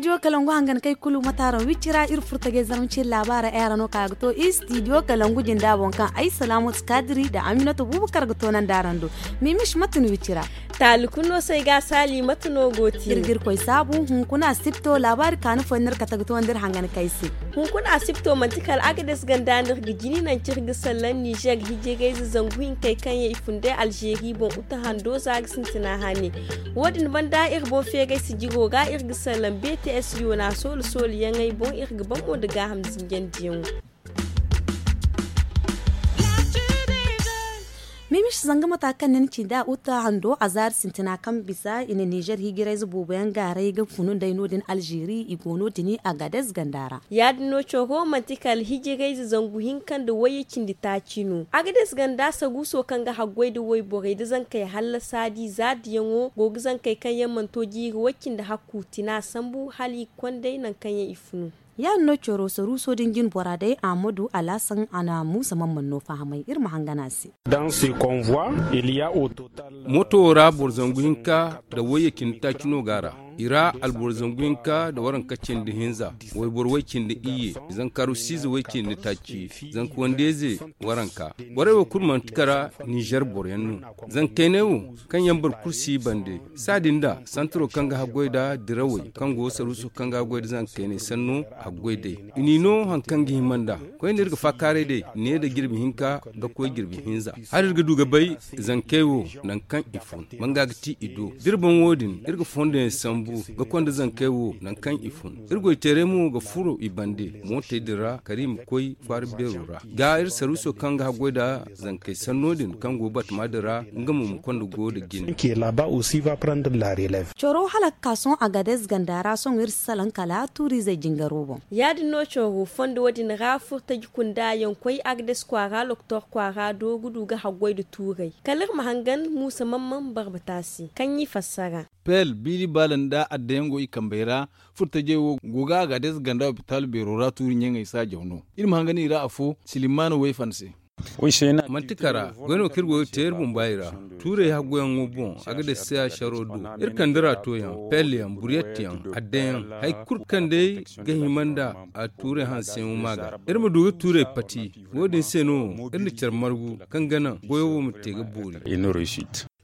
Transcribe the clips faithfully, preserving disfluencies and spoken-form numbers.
Studio kalangu hangan kay kulu mate araŋ wicci ra iri furta ga ay zarma ciri laabaara ay araŋ no kaŋ a ga to istidiyo kalangu jinda boŋ kaŋ ay salaamatu kaadiri nda aminatu buubu kar ga toonandi araŋ do. Mimis mate no wicci ra? Taali kulu no se ay ga a saali mate no go ti iri ga iri koy saabu hunkuna asibto laabaari kaanu fooyaŋ no iri kate ga toonandi iri hangan kay se. Hunkuna asibto manti kala agades ganda no iri ga jini naŋ kaŋ iri ga sallaŋ nizer hijirayze zangu hinkey kaŋ yaŋ i fun day alzeeri boŋ uta hando za ga sintina hane. Wo- din banda iri boŋ feeray sijiro ga iri ga sallaŋ bts yona soolu soolu yaŋey boŋ iri ga ban mo nda gaaham zinjandiyaŋo. Mimis zanga mata kaŋ ni na ci nda uta hando a zaari sintina kaŋ bisa i na nizer hijirayze boobo yaŋ gaaray ga funu nd'ey no- din alzeeri i go no- din agades ganda ra. Ya- din no coro manti kala hijirayze zangu hinka nda wayye cindi taaci no agades ganda saruuso kaŋ ga haggoy nda wayborey nda zankey hallasa di zaadiyaŋo go ga zankey kaŋ yaŋ mana to jiiri way- cindi hakku tina sambu hala i ga konday nangu kaŋ yaŋ i funu. Ya- din no coro saruuso din jine bora day ahmadu alaasan a na muusa mamman no fahamay iri ma hangan a se. Moto wo ra boro zangu hinka nda wayye cindi taaci no go a ra. I ra alboro zangu hinka nda waranka cindi hinza, wayboro way- cindi iyye, zanka rusiize way- cindi taaci, zanka wandeeze waranka. Borey wo kulu manti kara nizer boro yaŋ no. Zankayney wo kaŋ yaŋ boro kulu si i bande, saadin nda santaro kaŋ ga haggoy nda dirawey kaŋ go saruuso kaŋ ga haggoy nda zankayney sanno haggoy day. I n'i no hari kaŋ ga hima nd'a. Koyne iri ga faakaaray day ne nda jirbi hinka ga koy jirbi hinza. Hala iri ga du ga bay zankey wo nangu kaŋ i fun, manga ga ti i do. Da iri ban wo- din iri ga fondo yaŋ sambu ga konda zankey wo nangu kaŋ i fun. Iri goy teeray mo ga furo i bande mootey din ra kala i ma koy kwaara beero ra. Ga iri saruuso kaŋ ga haggoy nda zankey sanno din kaŋ go batama din ra nga mo ma konda go nda jine. Coro hala ga ka sohõ agades ganda ra sohõ iri si salaŋ kala tuuriizey jingaro boŋ. Ya- din no coro fondo wo- din ra furtaji kunda yaŋ koy agades kwaara loktor kwaara do ga du ga haggoy nda tuurey kala iri ma hangan muusa mamman barbata se kaŋ i fassara. Pel biiri baala nda addayaŋ go i kambey ra. Furtajey wo go ga agades ganda opitaal beero ra tuuri ɲaŋey saajaw no. Iri ma hangan i ra afo silimaana wayfan se. Manti kara goy no kaŋ iri go ga te iri bumbaay ra. Tuurey haggoyaŋo boŋ a ga day se a saro do. Iri kande raato yaŋ pel yaŋ buriyet yaŋ adda yaŋ hari kulu kaŋ day ga hima nda a tuurey hanseyaŋo ma ga iri ma du ga tuurey pati. Wo- din se no iri na care margu kaŋ ga naŋ goyo wo ma te ga boori.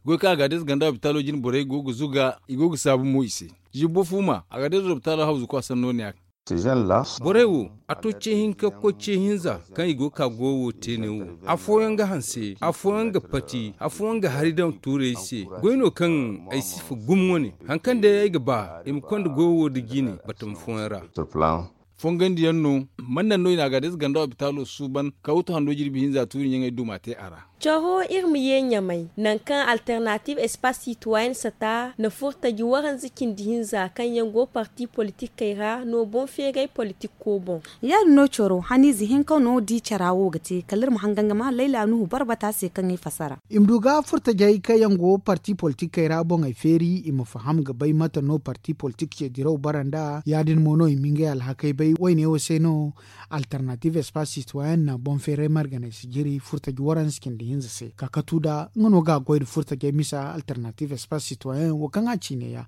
Goy kaŋ agades ganda opitaalo jine borey go ga zuga i go ga saabu mo i se. Zibbo fuuma agades opitaalo hawzu kwaasam no ne a. Borey wo a to ce hinka ga koy ce hinza kaŋ i go ga ka goyo wo te ne wo. Afooyaŋ ga hanse afooyaŋ ga pati afooyaŋ ga hari daŋ tuurey se. Goy no kaŋ ay si fa gumo wane hari kaŋ day ay ga ba i ma konda goyo wo nda jiine batama fooyaŋ ra. Fongandiyaŋ no man naŋ no i na agades ganda opitaalo suuban ka wutu hando jirbi hinza tuuri ɲaŋey duma te a ra. Caro iri ma ye ɲamay nangu kaŋ alternative espace citoyen sata na furtaji waranza cindi hinza kaŋ yaŋ go parti politikey ra no boŋ feeray politiko boŋ. Ya- din no caro haniize hinka no di cara wo ga te kala iri ma hangan ga ma layla nuhu barbata se kaŋ i fasara. I ma du ga furtajey kaŋ yaŋ go parti politikey ra boŋey feeri i ma faham ga bay mate no parti politik ce diraw bara nd'a ya- din mo no i ma ngey alhakey bay wayne wo se no. Alternative espace citoyen na boŋ feeray marganay sijiri furtaji waranza cindi hinza se kakatu da nga no ga a goy nda furtajey misa alternative espace citoyen wo kaŋ a ciine ya.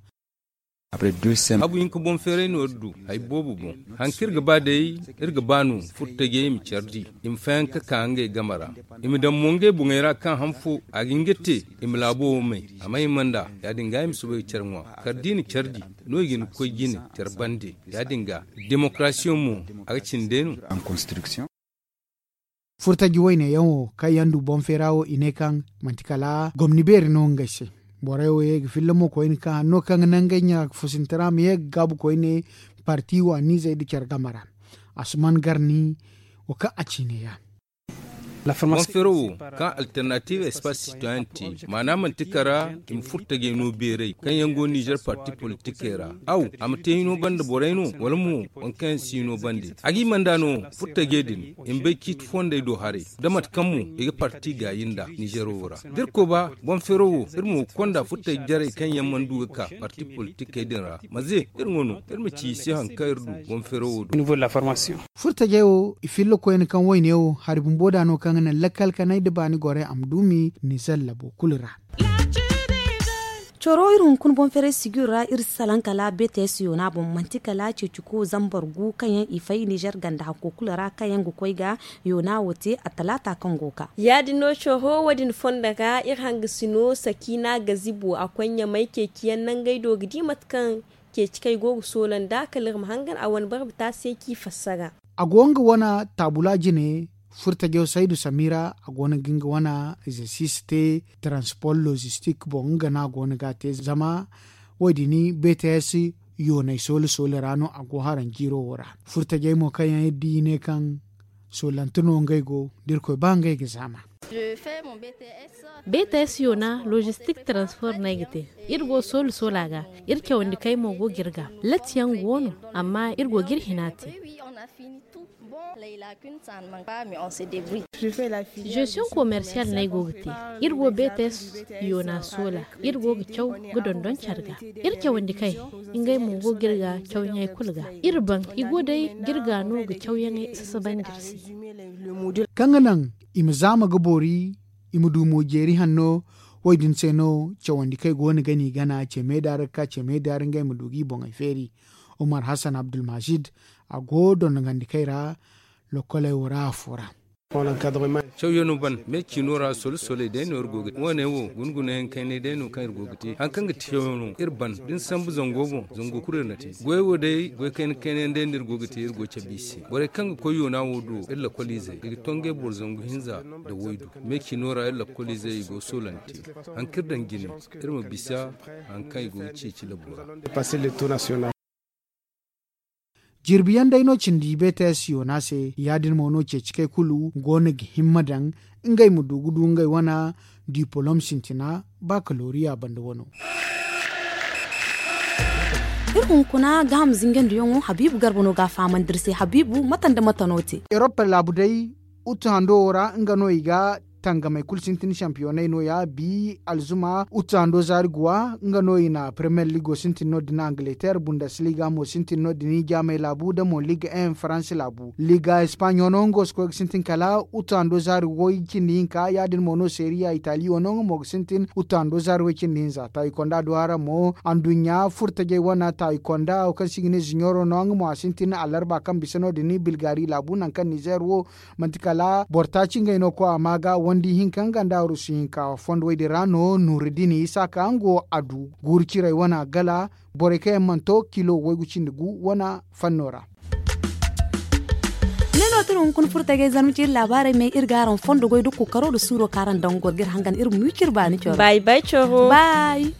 Habu hinka boŋ feeray no iri du hari boobo boŋ. Hari kaŋ iri ga ba day iri ga ba no furtajey i ma care di i ma fayanka ka ngey game ra. I ma daŋ mo ngey boŋey ra kaŋ han fo a ga hin ga te i ma laabo wo may a ma hima nd'a. Ya- din ga i ma soobay ga care ŋwa kala da i na care di no i ga hin ga koy jine care bande. Ya- din ga demokarasiyaŋ mo a ga cindi day no. Furtaji wayne yaŋ wo kaŋ yaŋ du boŋ feera wo i ne kaŋ manti kala gomni beeri no ngey se. Borey wo ye ga filla mo koyne kaŋ hanno kaŋ ga naŋ ngey ɲa ga fusinti ra ma ye ga gaabu koyne parti waaniizey nda care game ra. Asuman garni wo kaŋ a ciine ya. Boŋ feero wo kaŋ alternative espace citoyen te maana manti kara i ma furtajey no beeray kaŋ yaŋ go nizer parti politikey ra. Aw a ma te hino banda borey no wala mo waŋ kaŋ yaŋ si hino bande a g'i manda no furtajey din i ma bay ciiti fondey do haray da mate kaŋ mo i ga parti gaayi nd'a nizero wo ra. Da iri koy ba boŋ feero wo iri mo ga konda furtajey jarey kaŋ yaŋ mana du ga ka parti politikey din ra maze iri ŋwa no iri ma ci i se hari kaŋ iri du boŋ feero wo do. Furtajey wo i filla koyne kaŋ wayne wo hari bumbo da no kaŋ ga naŋ lakkal kanay nda baani gorey a ma duumi nizer labo kulu ra. Coro iri hunkuna boŋ feeray sijir ra iri si salaŋ kala beetees yoona boŋ manti kala ceeci ku zambar gu kaŋ yaŋ i fay nizer ganda hakko kulu ra kaŋ yaŋ ga koy ga yoona wo te a talaata kaŋ go ga ka. Ya- din no coro wo- din fondo ra iri hanga si no sakiina gazibo a koy ɲamay ceeci yaŋ nangey do ga di mate kaŋ ceeci kaŋ i go ga soola nd'a kala iri ma hangan a wane barba te a se kaŋ i fassara. A go nga wane taabula jine furtajo saydu samira a go no ga nga wane egzersis te taransipor lozistik boŋ nga no a go no ga a te zama wo- din bts yoonay soola soola ra no a go haraŋ jiiro wo ra. Furtajey mo kaŋ yaŋ iri di i ne kaŋ soolante no ngey go da irkoy ba ngey ga zaama. Beeta ay si yoona lozistik taransipor no ay ga te. Iri go soola soola ga iri cawandi kay mo go ga iri ga latti yaŋ go no. Amma iri go ga iri hina te. Zesiyoŋ komersiyal no ay go ga te. Iri go beeta ay si yoona soola iri go ga caw ga dondon care ga. Iri cawandi kay ngey mo go ga iri ga cawyaŋey kulu ga. Iri baŋ i go day ga iri ga no ga cawyaŋey sasabandi iri se. Kaŋ ga naŋ i ma zaama ga boori i ma du mo jeeri hanno. Wo- din se no cawandi kaŋ i go no ga no i gana ce meeda ra ga ka ce meeda ra ngey ma du ga i boŋey feeri. Umar hassan abdulmajid a go dondogandi kay ra. Lokkoley wo ra afo ra. Cawyaŋo ban me ciino ra solo soley day no iri go ga te wo- ne wo guna guna yaŋ kaynay day no kaŋ iri go ga te hari kaŋ ga te cawyaŋo iri ban da ni sambu zango boŋ zango kulu iri na te. Goy wo day goy kayna kayna yaŋ day no iri go ga te iri go ga cabe i se borey kaŋ ga koy yoona wo do iri lakkoliizey i ga to ngey boro zangu hinza nda waydu. Me ciino ra iri lakkoliizey i go ga soolante hari kaŋ iri daŋ jine iri ma bisa hari kaŋ i go ga ceeci labo ra. Jirbi yaŋ day no cindi bts yoona se ya- din mo no ceeci kay kulu go no ga himma daŋ ngey ma du ga du ngey wane dipolom sintina bakaloriya banda wano. Iri hunkuna gaham zingandiyaŋo habiibu garba no ga a fahamandi iri se habiibu mate nda mate no te. Erop laabu day utu hando wo ra nga no i ga tangamey kulu sintin sampiyoney no- ya bi alzuma utu hando zaari guwa nga no i na premier ligo sintin no- din angleter bundesliga mo sintin no- din jaamey laabu da mo liga en faransi laabu liga espagne wano nga wo si koy ga sintin kala utu hando zaari woy cindi hinka ya- din mo no seriya itali wano nga mo ga sintin utu hando zaari woy cindi hinza taayi konda duwara mo anduɲɲa furtajey wane taayi konda wo kaŋ se i ga ne ziɲoro no nga mo a sintin alarba kaŋ bisa no- din bilgari laabu nangu kaŋ nizer wo manti kala boro taaci ngey no koy a ma ga wandi hinka nga nda arusu hinka fondo woy din ra no nuruddin isaaka nga wo a du guuru cirey wane gala borey kaŋ yaŋ mana to kilo waygu cindi gu wane fanno ra. Ne no tun hunkuna furtagey zarma ci iri laabaarey me iri ga araŋ fondo goy da kookaro nda suuro kaŋ araŋ daŋ goro ga iri hangan iri ma wi ciri baani coro. Bay bay coro. Bay.